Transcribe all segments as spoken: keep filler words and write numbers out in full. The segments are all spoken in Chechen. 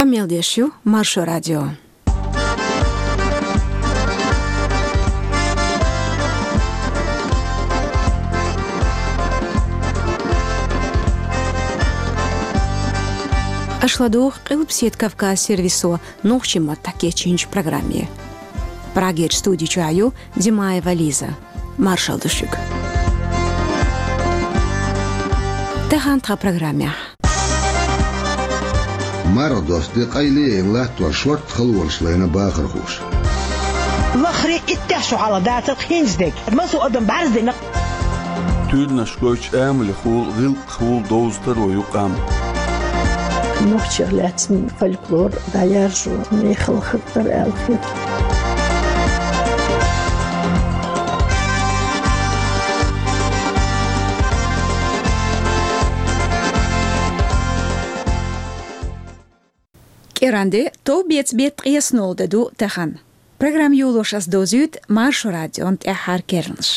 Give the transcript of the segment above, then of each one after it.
Къамел деш ю Маршо радио. Аша ладугӀу Къилбаседа Кавказ сервисо нохчийн маттахь кечйинчу программе. Прагерчу студи чохь ю Димаева Лиза. Маршалла ду шуьга. Тахана тхан программехь. Марха досту де къайле а яйна латтор шортта халонаш лайна бахархоша. Лахаре иттех шо хьалха дацара хӀинца дерг. Массо а адам бӀаьрзе дина. Туьйранаш гойтуш амалехула, гӀиллакхехула довза таро ю къам. Нохчех лаьцна фольклор дӀаяржо мехала хӀуттар аьлла хета. КӀиранде, товбеца беттан ткъеснолгӀа де ду тахана. Программа йолош ас довзуьйту Маршо радион тӀаьххьара керланаш.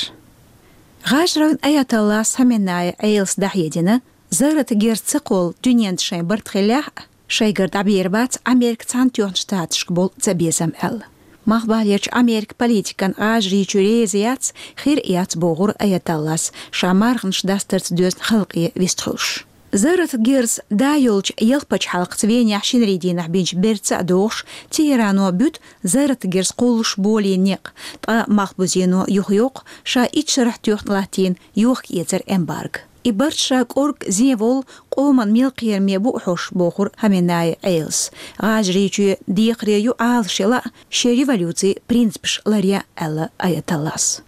ГӀажарийн аятоллас Хаменеи Ӏелас дӀахьедина, зарратан герз ца кхолла дуьнен тӀе шайн барт хиллехь а, шайгара дӀабер бац Американ Цхьаьнатоьхначу Штаташка болу цабезам аьлла. Малхбалерчу Американ политикана ГӀажарийчоь реза яц, хир а яц бохура аятоллас, ша марханаш дастарца доьзна халкъе вистхуьлуш. Зарратан герз да йолчу ялх пачхьалкхаца Венехь шинарин дийнахь бинчу бертаца а догӀуш, Тегерано буьту зарратан герз кхуллуш болийн некъ, ткъа Малхбузено юхайоккху ша итт шарахь тоьхна латтийна йохка-эцаран эмбарго. И барт ша кӀорга зен волу къоман мел кхераме бу хьош, бохура Хаменеи Ӏелас. ГӀажарийчоь декхаре ю Ӏалашъяла а, шен революцин принципаш ларъяла а, аьлла аятоллас.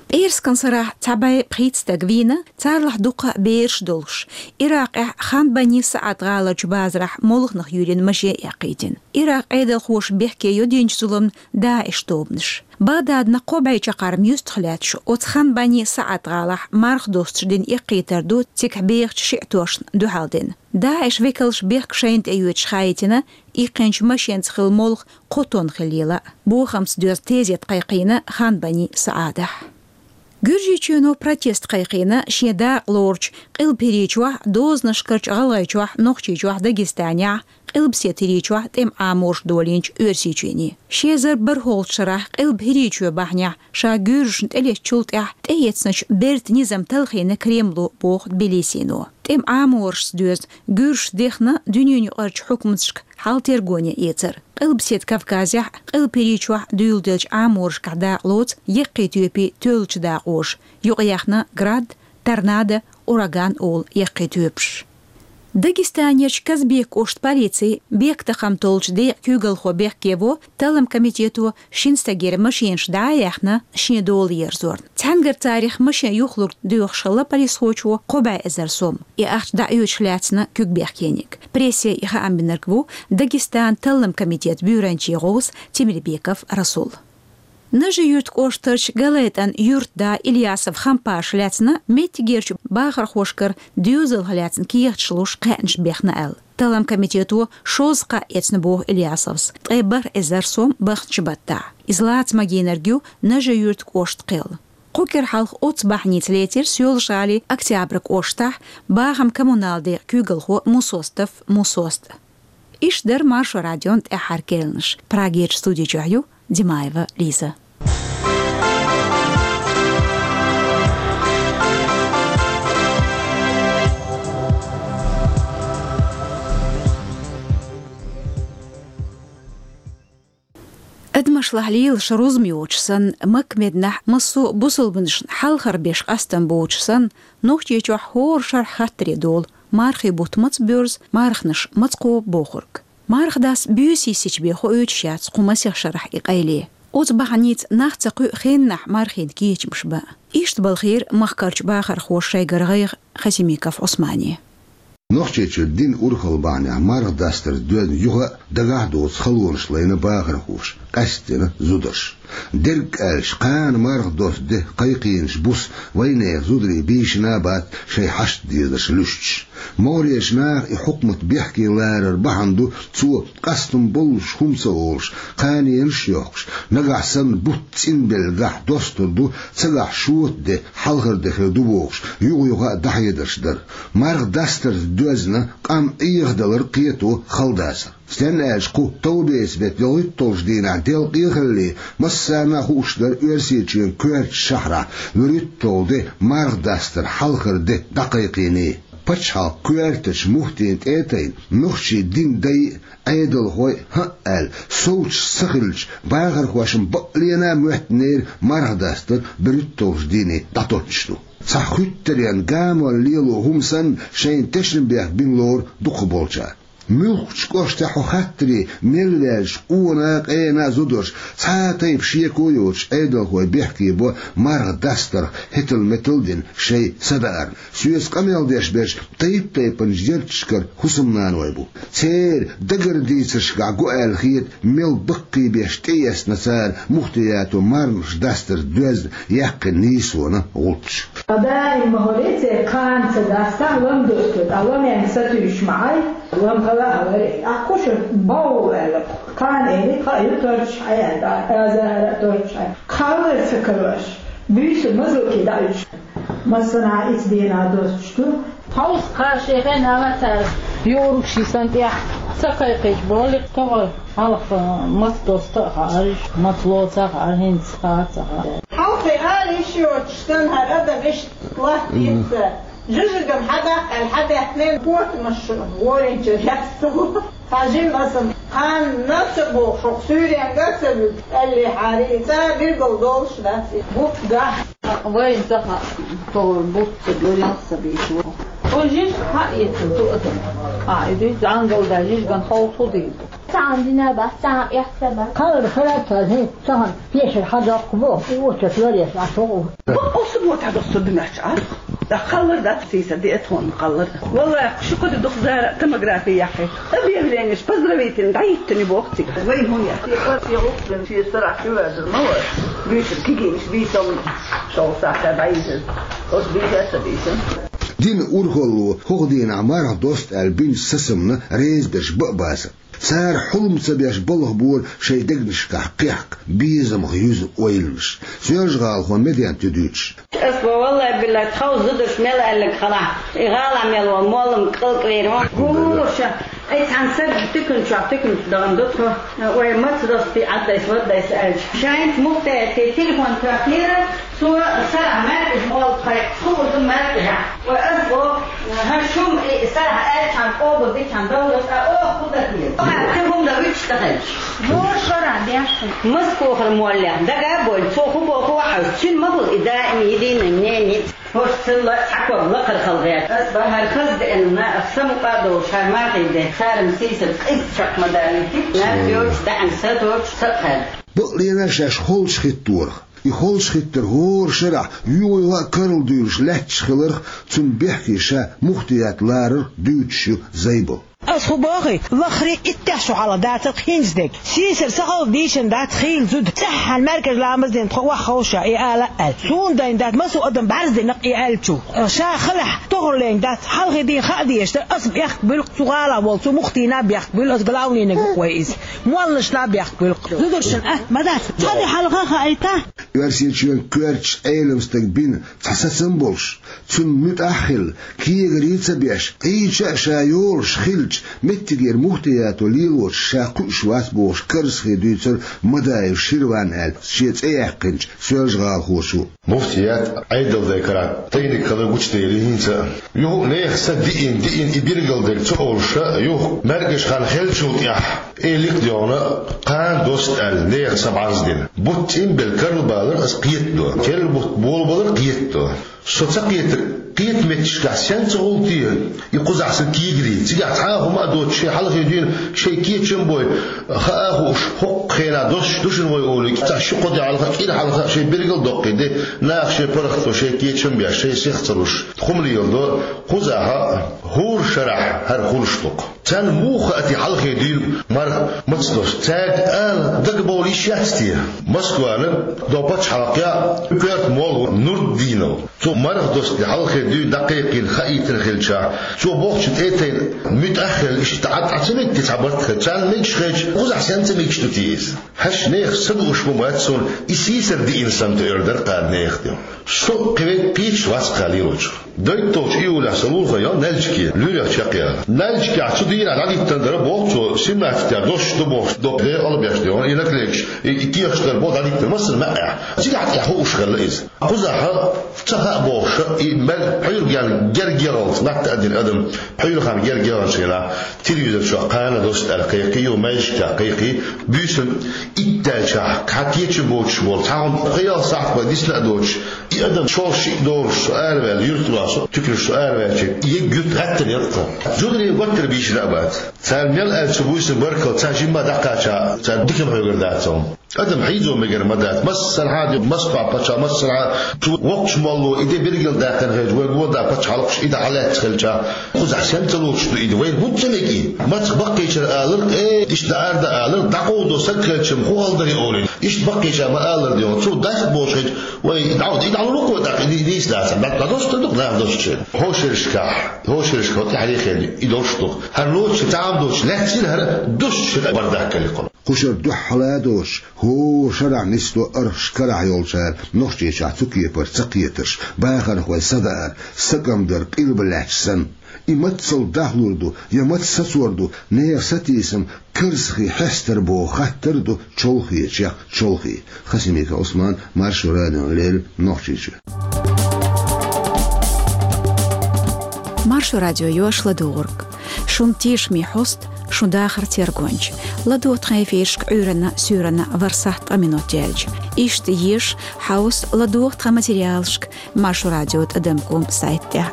ПӀераскан сарахь цхьа бӀе пхийтта стаг вийна, царах дуккха а бераш долуш. Иракъехь Ханбани СаӀад гӀаларчу базарахь молханах юьйрина машен эккхийтина. Иракъан Ӏедалхоша бехке йо динчу зуламна ДАИШ тобанаш. Багъдадна кхо бӀе чаккхарма юьстах лаьтташ оцу Ханбани СаӀад гӀалахь марха достуш дина эккхийтар ду цигахь бехачу шиӀатошна дуьхьал дина. ДАИШ векалша бехк шайна тӀе йоьдуш хаийтина, иккхинчу машенца хилла молха кхо тонна хиллийла а. Бохамца доьзна тезет кхайкхийна Ханбани СаӀадахь. Гуьржийчоьно протест кхайкхийна шен дакъа лоручу Къилба ХӀирийчохь, дозанашкарчу ГӀалгӀайчохь, Нохчийчохь, Дагестанехь, Къилбаседа ХӀирийчохь тӀеман Ӏаморша долийначу Оьрсийчоьне. Ши эзар бархӀолгӀачу шарахь Къилба ХӀирийчоь бахьанехь ша гуьржашна тӀелеттачул тӀаьхьа тӀеэцначу бертан низам талхийна Кремло, боху Тбилисино. ТӀеман Ӏаморашца доьзна гуьржаш дехна дуьненаюкъарчу хьукматашка хьал-тергоне эцар. Къилбаседа Кавказехь, Къилба ХӀирийчохь дуьйладеллачу Ӏаморашкахь дакъа лоцу яккхий тоьпийн тоьллачу дакъоша, юкъаяьхна «Град», «Торнадо», «Ураган» олу яккхий тоьпаш. Дагестанерчу Казбекан кӀоштан полицин бехктакхаман толлучу декъан куьйгалхо бехке во талламан комитето шина стагера машенаш дӀа а яьхна, шен дола ерзорна. Цхьаьнгара царах машен юхалург доьхуш хилла полисхочо кхо бӀе эзар сом. И ахча дӀаоьцуш лаьцна куьг бехкениг. Прессе и хаам бинарг ву Дагестанан талламан комитетан буьйранчин гӀовс Темирбеков Расул. Нажи-Юьртан кӀоштарчу ГалайтӀан юьртан да Ильясов Хампаша лаьцна меттигерчу бахархошкара доьзалх лаьцна кехаташ луш кхаьънаш бехна аьлла. Талламан комитето шозза кхаъ эцна боху Ильясовс, ткъе бархӀ эзар сом баханчу баттахь. Иза лаца магийнарг ю Нажи-Юьртан кӀоштан кхел. Кху кӀира хьалха оццу бахьаница лецира Соьлжа-ГӀалин Октябрь кӀоштахь бахаман-коммуналан декъан куьйгалхо Мусостов Мусоста. Иштта дара Маршо радион тӀаьххьара керланаш. Прагерчу студи чохь ю Димаева Лиза. Адамашлахь лелаш рузма йоцуш санна, Макка-Мединахь массо а бусалбанашна хьалхара беш къастам боцуш санна, Нохчийчохь хӀора шарахь хаттаре долу: мархийн бутт маца боьрзу, марханаш маца кхобу бохург. Марха дас буьйса йисича бен хоуьйтуш яц кху масех шарахь и къайле. Оцу бахьаница нах ца кхуьу хеннахь мархийн кечамаш бан. Иштта балхийра махкарчу бахархоша шайгара гӀайгӀа Хасимиков Ӏусмане. Нохчийчуьра динан урхалла бахьанехь марха дастарца доьзна юха а дагахь а доцу халонаш лайна бахархоша, къаьсттина зударша. Дерг аьлча, кхана марха досту де кхайкхийнарш буса вайнехан зударий бийшина а бац, шайн хьашт дезарш луьстуш. МогӀарерчу наха и хьукмат бехке ларар бахьана ду, цо къастам боллуш хӀума ца олуш, кханенаш а йохкуш, нагахь санна бутт цӀинбеллачохь достур ду, цигахь шота де, хьалхара де хир ду бохуш, юха-юха а дӀахьедарш дар. Марха дастарца доьзна къам Ӏехадалар кхето хала дацар. Стенна аьлча, кху товбеца беттан ялхитталгӀачу дийнахь делкъе а хилале, массарна а хууш дара Оьрсийчоьнан коьртачу шахьарахь вуьрхӀитталгӀа де марха дастар хьалхара де дӀакхайкхийний. Пачхьалкхан коьртачу муфтийна тӀе а тайна, нохчийн динан дай а, Ӏедалхой а, хӀаъ аьлла, совцуш ца хилча, бахархошна бакъ лена а моьттинера марха дастар берхӀитталгӀачу дийне дӀатоттуш ду. Цхьа хуьттаренна гамор лело хӀума санна, шайна тешнабехк бина лору дукхахболчара. Муьлххачу кӀоштахь хьо хаттаре мел ваьлча, къона а, къена а зударша, цхьа а тайпа шеко а йоцуш, Ӏедалхой бехке бо марха дастарх хӀетал-метал а дина шайн садаарна. Соьца къамел деш берш тайп-тайпанчу ярташкара хӀусамнаной бу. Церан дагардийцаршкахь го аьлла хета, мел баккхийбеш тӀеэцна цара муфтиято мархаш дастарца доьзна яьккхина нийсонан гӀулч. Даим ма хӀоре церан кхана ца дастахь, лам досто, ткъа ламенга сатуьйсуш ма Ӏай, лам хала а хилар, тӀаккха шу бовла аьлла. Кхана элира, кхаа ю торчахь Ӏай аьлла, тӀаккха аза хӀара а торчахь Ӏай. Кхаллар ца карош, буьйса мазалке дӀа уьдуш. Массанхьа а ицу дийнахь достуш ду. Хьовса кхара шен хенахь цара юург ши сан тӀехь ца кхайкхийча, боху-кх тохара, хьалха маца доста а хаьара, маца лоца а хаьара, хӀинца хаа а ца хаьа. Хьалхе ала йиш йоцуш санна, хӀара адам иштта латтийта. Жижиган хьадаккха аьлла хьадаьхкина, котамаш шу гӀорийначуьра яц ца ву. Хьажийна аса, кхана ца боху, шух суьйренга а ца вуьгу, аьллехьара, и цӀа билггал долуш дац и бутт гахь. Вайна ца хаьа, тохара бутт ца гур ялх ца бийца ву. Оцу жижиг хьаэцна цу адамо. А, и дуьйцу зӀангал дай жижиган хьовса хӀун дийр ду? Цхьана дина бац, цхьана эцна бац. Кхаллар хиларца хӀинца цхьана пешар хьадоккху боху, и очерк ларъеш Ӏаш ву. Бакъ оцу бо тӀедоссу ду моьтту Ӏа. ТӀаккха кхаллар дац, сийсара диъ тонна кхаллар. Валлахь, ши-кхо де дукха дара томографи яьккхина. Объявлениеш, поздравительни дӀахӀиттина боху цига. Вайн хӀун яц? Шен паргӀатан гӀуллакх дина, шен сарахь чу воьжар ма вара. Буьйцура кегийнаш, бийца ма шовзткъа сахьтехь дӀайижира. Оцу бийца а ца бийцина. Динан урхалло хӀокху дийнахь марха доста аьлла бинчу сацамна реза берш бан а бацара. Цара хьулам ца беш балхабора шайн дегнашкахь кхехка, безамах юза ойланаш. Соьлжа-ГӀалахо Медена тӀе дуьйцуш. Ас бо, валлай-биллай, тхов зударша мел аьлларг хилахь, и гӀалахь мел волу моллам кӀалкӀвер вон. ХӀуша, ай цхьана саг тикан чохь тиканца дахана ду тхо. Вай маца достий Ӏаддайса, ваддайса аьлча. Шайнца муфтиятехь телефон тоьхнера, цо сарахь маьркӀажа молла тхайкхаш, хуур ду маьркӀажа. Вай ас бо, хӀан шума и сарахь аьлчхьана къобал дичхьана довлар, ткъа оха хӀун дан деза? Оха кхин хӀума дан вуьтуш ца хилча. Вон шарахь деш ду. Москохара моллех дага а бойла, цо хӀун боху а хьожуш, цуьнан ма хуьлу и даим единый мнение. ХӀорш цул а цхьа ког лакхара хала гӀерта. Ас бан хӀара хаза деана, ах самукъа а долуш, хӀара мархий де, царна сийсара къиза чекх ма далийти, наб йоцуш, даьӀна са доцуш, са а хаьдда. Бакъ лена шаьш холчу хӀитторах. И холчу хӀиттар хӀора шарахь юха-юха а карладуьйлуш лаьтташ хиларх, цунна бехке ша муфтият ларарх дуьйцуш ю Зайбал. Ас хӀун боху, лахара иттех шо хьалха дацара хӀинца дерг. Сийсара сахалла дийшина дац хийла зуда. ЦӀеххьана маьркӀажа ламаз дина тхо охьаховша и ала а аьлла. Суна дайна дац, массо а адам бӀаьрзе дина-кх и аьллачул. Ша халахь тохарлен дац, хьалхе дийна хаа дезаш дара, ас бехк буьллу-кх цу гӀалахь волу, цу муфтийна бехк буьллу, ас главнийна ву-кх вай иза. Молланашна бехк буьллу-кх. Зударшна атта ма дац. Цхьа де хьалха хаийта. Оьрсийчоьнан коьртачу Ӏелам стага бина цхьа сацам болуш, цунна муьтӀахь а хилла, кегари а ца беш, Ӏийча а ша йолуш хилча, меттигера муфтиято лелочух ша кхуьуш вац бохуш, карзахе дуьйцура Мадаев Ширван аьлла шен цӀе яьккхинчу соьлжагӀалахочо. Муфтият Ӏедалан дай карахь тайниг хилар гучудели хӀинца а. Юха а нехан са диъна, диъна и билгалдерг ца олуш а, юха маьркӀажа хан хиллачул тӀаьхьа, элира-кх дегӀана, кхана доста аьлла, нехан са бӀарздина. Бутт цӀинбелла карлабалар ас кхетадо. Керла бутт болабалар кхетадо. Со ца кхетар, кхета меттигашкахь сенца гӀуллакх те, и кхузахь сан кегари. Цигахь цхьа а хӀума а доцуш, шайн хьалхе дуьйна шайн кечам а бой, хаа а хууш, хӀокху хенахь доссуш ду шуна вай олий, цхьа ши-кхо де хьалха, кӀира хьалха шайн билгал а доккхий де, наха шайн паргӀато шайн кечам а беш, шайн сих ца луш, хӀума леладо, кхузахь а, хӀора шарахь хӀара хуьлуш ду-кх. Царна муха хаьа те хьалхе дуьйна марха маца доссу? Цаьрга ала дагабовла йиш яц те? Москвана догӀу пачхьалкхехь коьрта молла ву Нурдинов. Цо марха доссу де хьалхе дуьйна дӀакхайкхийна хаийтина хилчахь, цо бохучун тӀе а тайна, муьтӀахь а хилла, иштта Ӏад Ӏа ца мегий те цхьа барт хилча? Царна мегаш хилча, кхузахь сенца мегаш ду те иза? ХӀаьта нехан са дууш ма дац суна, и сийсара диъна санна тоьар дара кхана нехан де. Со кхин веккъа кхеташ вац кхана лелочух. Дойтолчу июлехь со лулахе йо Нальчике, луьрах чекхъяла. Нальчикехь цу дийнахь дӀадиттина дара боху цо, семнадцать дош ду бохуш, доккха декъала беш де, и наклейкаш, и, и кехаш дара боху дӀадиттина массара маьӀӀехь. Цигахь тӀехь хууш хилла иза. Кхузахь ца хаьа бохуш, и мел пхьуьйргенна герга егӀалц, натта а дина адам, пхьуьйрхан герга егӀанчу хенахь, телевизор чохь кхана дош аьлла кхайкхий, ю маьждигехь кхайкхий, буьйсанна итт даьлчахь, кхин кечам боцуш болу, цхьа хӀума кхайалла сахьт бан дисна а доцуш, и адам шолгӀа шиъ долуш со араваьлла, юьртара со, туьканаш со араваьлча, и егга юьрт гӀаттар яра тхан. Зударий гуттар а бийшина а бац. Цара мел аьлча буьйсанна баркалла, цхьа жимма дӀакхача, цара дика ма хьоьгур дац хьуна. Адам хьийзо мегар ма дац. Массархьа а де, Москва пачхьалкх, массархьа а цу воккхачу молло и де билгалдаьккхина хилча, вай гонда пачхьалкхаш и де хьалаьцна хилча, кхузахь сенца лоцуш ду и де? Вайна хӀунда ца мега и? Маца баккхийчара аларх, э, иштта даар дан аларх, дӀакъовдо саг хилча-м хӀун хала дар и олий. Иштта баккхийчара ма алара де хьуна. Цо дац бохуш хилча, вай и дӀа-, и дӀалур ву-кх вай тӀаккха, и дийца дац. ДӀа-, дӀадош дан ду-кх наха дош шен. ХӀокху шерашкахь, хӀокху шерашкахь тӀаьхьарий хенахь и дош ду-кх. ХӀара лоцуш цхьа а доцуш лаьцна хӀара, душчух бардак кхалли кхуна. Кху шарахь дуьххьал а доцуш, хӀора шарахь нисдо архаш карахь йолчара Нохчийчохь цу кепара ца кхетарш, бахархой садар, сакӀам дар къилба лаьтташ санна. И мацалла дахлур ду, я маца сацор ду, нехан сатийсам карзахий хьестар боху хаттар а ду чолхечех чолхе. Хасимиков Ӏусман, Маршо радиона леррина, Нохчийчоь. Маршо радио йош ладугӀург. Шун тешаме хьоста, шун дахар тергонча. ЛадогӀа тхан эфирашка Ӏуьйранна, суьйранна ворхӀ сахьт ткъа минот яьлча. Иштта еша, хьовса, ладогӀа тхан материалашка Маршо радио тӀадам ком сайт тӀехь.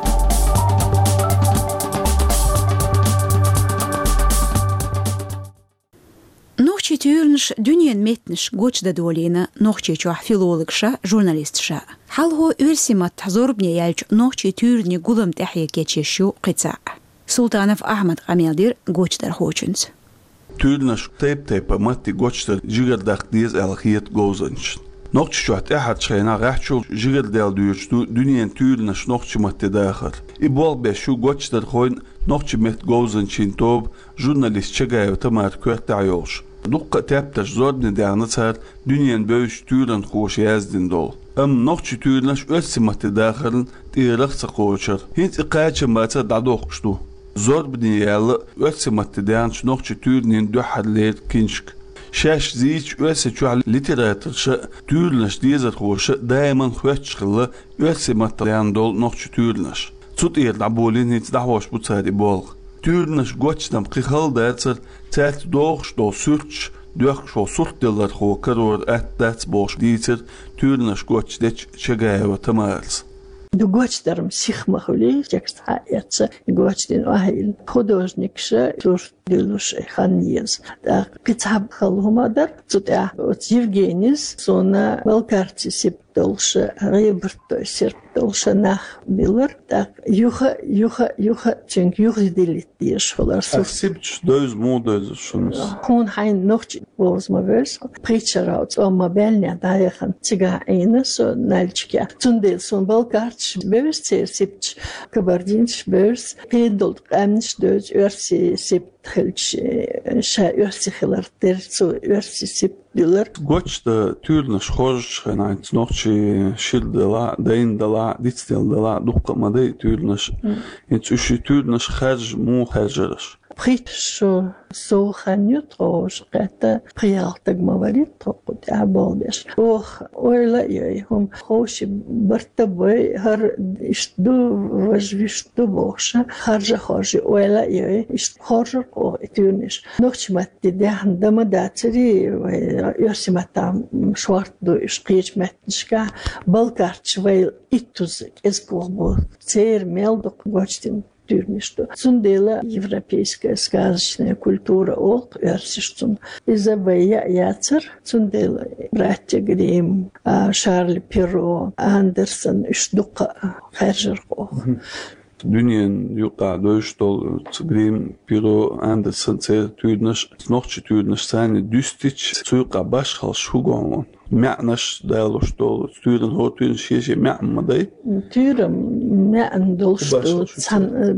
Нохчийн туьйранаш дуьненан меттанаш гочдан долийна Нохчийчохь филологаша, журналисташа. Хьалхо оьрсийн маттахь зорбане яьллачу нохчийн туьйранийн гулам тӀаьхье кечъеш ю кхин цхьаъ. Султанов Ахьмада къамел дира гочдархочуьнца. Туьйранаш тайп-тайпана матте гочдар жигара даккха деза аьлла хета говзанчашна. Нохчийчохь тӀаьххьарчу хенахь гӀаьххьачул жигара даьлла доьдуш ду дуьненан туьйранаш нохчийн матте дахар. И болх беш ю гочдархойн, нохчийн меттан говзанчийн тоба, журналист Чагаева Тамара коьртехь йолуш. Дуккха а тептарш зорбане даьхна цара дуьненан бевзачу туьйранхоша яздина долу. Амма нохчийн туьйранаш оьрсийн матте дахарна тӀера ца кхочура. ХӀинца и кхачам бацара дӀадоккхуш ду. Зорбане яьлла оьрсийн матте даьхначу нохчийн туьйранийн дуьххьарлера киншка. Шаьш зийча Оьрсийчохь литераторша а, туьйранаш дезархоша а даиман хоьттуш хилла оьрсийн матте даьхна долу нохчийн туьйранаш. Цу тӀера дӀаболийна, хӀинца дӀахьош бу цара и болх. Туьйранаш гочдан кхин хала дацара, цаьрца догӀуш долу суьрташ доьхкуш волу суртделлархо карор атта дац бохуш дийцира туьйранаш гочдечу Чагаева Тамарас. Ду гочдар-м сиха ма хуьлий, текст хьаэцна, гочдина охьайилла. Художникаша сурт дуьллуш хан еза. ТӀаккха кхин цхьа хала хӀума дара, цу тӀехь оцу Евгенис суна балкарций сип долуша, гӀебарт дой серп долуша нах биллар, тӀаккха юха, юха, юха цуьнга юхадилийта дезаш хилар. Ас сурт сибчаш девза, муха девза шуна? Хьуна хьайна нохчийн бовза ма вевза, пхийтта шарахь цӀа ма баьллинехь дӀаяхана цигахь Ӏийна со Нальчикехь. Цундела суна балкарцаш бевза церан сибчаш, кабардинцаш бевза, кхин долу къаьмнаш девза оьрсийн сип хилча, ша оьрси хилар дера, цо оьрси сип дилар. Гочдан туьйранаш хоржучу хенахь, хӀинца нохчийн шира делахь, дайна делахь, дицделла делахь, дуккха а ма дай туьйранаш. Мм. ХӀинца уьш и туьйранаш харжа муха хаьржира аша? Пхийтта шо сов хан ю тхо хӀорш кхетта, пхи-ялх стаг ма варий тхо кху тӀехь болх беш. Оха ойла а йой, хӀума ховший барт а бой, хӀара иштта ду, важа вуьшта ду бохуша, харжа а хоржий, ойла а йой, иштта хоржура оха и туьйранаш. Нохчийн матте даьхна дан ма дацарий, вай оьрсийн маттахь шорта ду уьш кхечу меттанашкахь, балкарцаш вай иттуза кӀезиг вахбо, церан мел дукха гочдина туьйранаш ду. Цундела европейская сказочная культура олу-кх оьрсаша цунна. Иза вай яа яцара, цундела братья Гримм, а, Шарль Перро, Андерсен, уьш дуккха а хаьржира-кх оха. Мгм. Дуьненан юкъахь девзаш долу цу Гримм, Перро, Андерсен церан туьйранаш, нохчийн туьйранаш санна дуьстича, цу юкъахь башхаллаш хӀун го хьуна? маьӀнаш далуш долу туьйранна, хӀора туьйранна шен-шен маьӀна ма дай? Туьйранна маьӀна долуш долу, цхьана, э,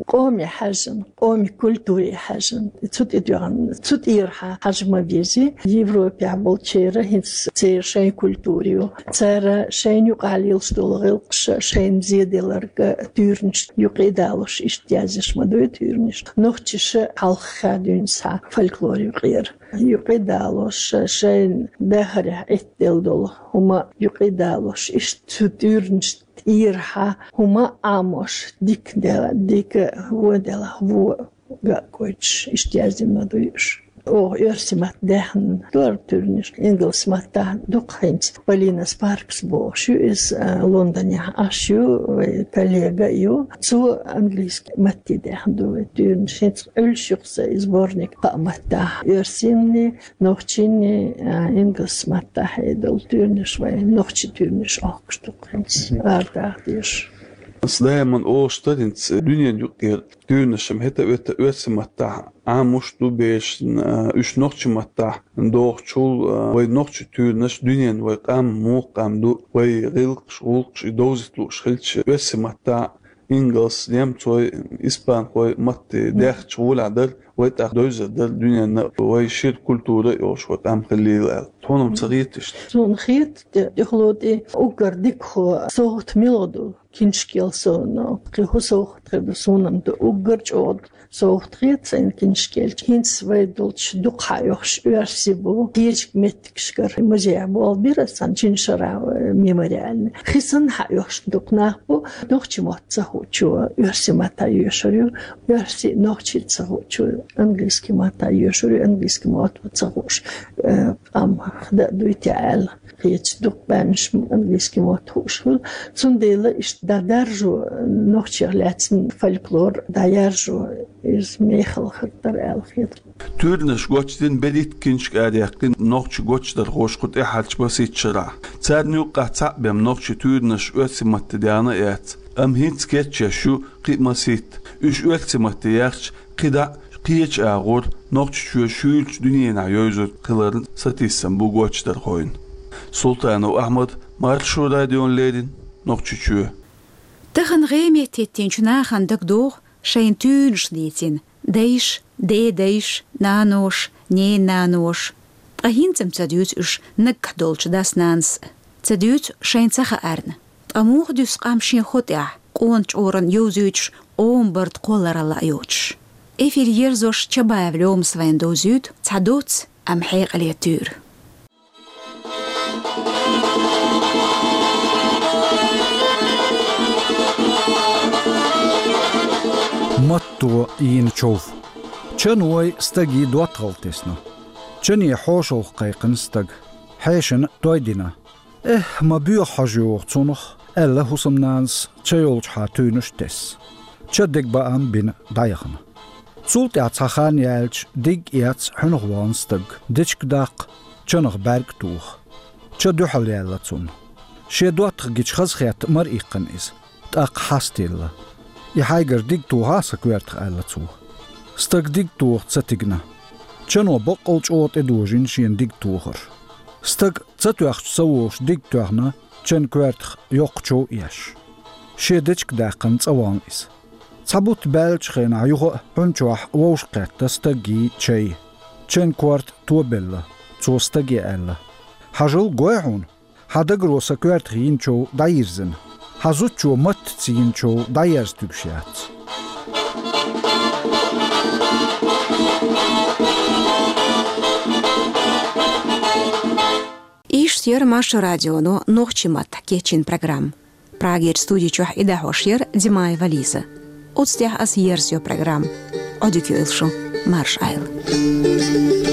къоме хьаьжжина, къоме культуре хьаьжжина. Цу тӀе доьгӀна, цу тӀера хьа-, хьажа ма вези. Европехь болчеран хӀинца церан шайн культура ю. Цара шайна юкъахь лелаш долу гӀиллакхаш шайна зеделларг туьйранаш юкъе далош, иштта язъеш ма ду и туьйранаш. Нохчаша хьалха хадийна схьа фольклор юкъера. Юкъе далош, шайна дахарехь Ӏиттаделла долу хӀума юкъе далош, иштта цу туьйранаш тӀера хьа хӀума Ӏамош, дика де-, дика вон делахь вон ган а гойтуш, иштта яздина ма ду уьш. Оха оьрсийн матта даьхна ду хӀара туьйранаш, ингалс маттахь дукха хӀинца. Полина Спаркс бохуш ю иза, а, Лондонехь Ӏаш ю, вай коллега а ю. Цо английски матте даьхна ду вай туьйранаш. ХӀинца Ӏуьллуш ю-кх сан и сборник кхаа маттахь: оьрсинни, нохчинни, а, ингалс маттахь а долу туьйранаш, вай нохчийн туьйранаш охкуш ду-кх хӀинца, арадаха дезаш. Ас даиман олуш дара хӀинца, дуьненан юкъера туьйранаш-м хӀета а, вета а оьрсийн маттахь Ӏамош ду берашна, а, уьш нохчийн маттахь дохучул, а, вай нохчийн туьйранаш дуьненна вай къам муха къам ду, вай гӀиллакхаш, гӀуллакхаш и довзийта лууш хилча, оьрсийн маттахь ингалс, немцой, испанхой матте даьхча гӀолехь дара, вай тӀаккха девзар дара дуьненна, вай шира культура а йолуш вай къам хилийла аьлла. Тхуна-м ца хета иштта? Суна хета, тӀе-, тӀехула тӀе уггар дикахо совгӀат мила ду, киншкел совгӀат, кхин хӀун совгӀат хир ду, суна-м ду уггар чӀогӀа совгӀат хета сайна киншкел. ХӀинца вай долчу дукха хьаоьхуш оьрсий бу, кхечу меттигашкара музейхь болх бира сан шина шарахь, э, мемориальный. Кхин санна хьаоьхуш дукха нах бу, нохчийн мотт ца хуучо оьрсийн маттахь йоьшур ю, оьрсий нохчий ца хуучо английский маттахь йоьшур ю, английский мотт ца хууш, э, къам хада а дуй те аьлла. Кхечу дукха баьннаш английский мотт хууш хуьлу. Цундела иштта дӀадаржо, нохчех лаьцна фольклор дӀаяржо, иза мехала хир дара аьлла хета. Туьйранаш гочдина берхӀитта киншка араяккхина нохчийн гочдархоша кху тӀаьхьарчу масийтта шарахь. Царна юккъехь цхьаъ бен нохчийн туьйранаш оьрсийн матте даьхна а яц, амма хӀинца кечъеш ю кхин а масийтта. Уьш оьрсийн матте яьхча, кхидӀа а кхечу агӀор Нохчийчоь шуьйрачу дуьненахь йовзур хиларна сатийсам бу гочдархойн. Султанов Ахьмад, Маршо радиона леррина, Нохчийчоь. Тахана гӀеметтеттинчу нахана дагадогӀу шайна туьйранаш дийцина дайша, дедайша, наноша, ненаноша. Ткъа хӀинца-м ца дуьйцу уьш наггахь долчу дас-нанас а. Ца дуьйцу шайна ца хаарна. Ткъа муха дуьсу къам шен хӀу тӀехь, къона чкъурана йовзуьйтуш, къоман барда кхолларалла а йоцуш? Эфир ерзош Чабаев Лёмас вайна довзуьйту цхьа доцца, амма хьекъале туьйра. Матто йийна чов. Чан вай стаге доттагӀалла тесна. Чане хьошалгӀа кхайкхина стаг. Хьешана той дина. «Эхь, ма боьха хьожа йогӀу цунах», — аьлла хӀусамнанас ча йолчухьа туьйнаш тесна. Ча дегабаам бина дӀаяхана. Цул тӀаьхьа цхьа хан яьлча, диг а эцна, хьуьнах вахана стаг, дечиг даккха, чанах бӀаьрг тоха. Ча дуьхьал яьлла цунна. Шен доттагӀа гича хазахетта мара иккхина иза. ТӀаккха хьастаелла. «И хьайгара диг тоха сан коьртах», — аьлла цо. Стаг диг тоха ца тигна. Чано баккъал чӀогӀа тӀедожийна шена диг тохар. Стаг ца тоьхча ца вогӀуш диг тоьхна, чан коьртах йоккха чов еш. Шен дечиг даьккхина цӀа вахана иза. Цхьа бутт баьллачу хенахь юха а хьун чохь вовшахкхетта стаге чай. Чан корта тобелла, цо стаге аьлла: «Хьажал, гой хьуна, хьан дагаро сан коьртах йина чов дӀайирзина. Хьан зудчо маттаца йина чов дӀаерза туьгуш яц». Иштта яра Маршо радионо нохчийн маттахь кечйина программа. Прагерчу студи чохь и дӀахьош яра Димаева Лиза. Оцу тӀехь аса ерзайо программа. Ӏодика йойла шу, марша Ӏойла.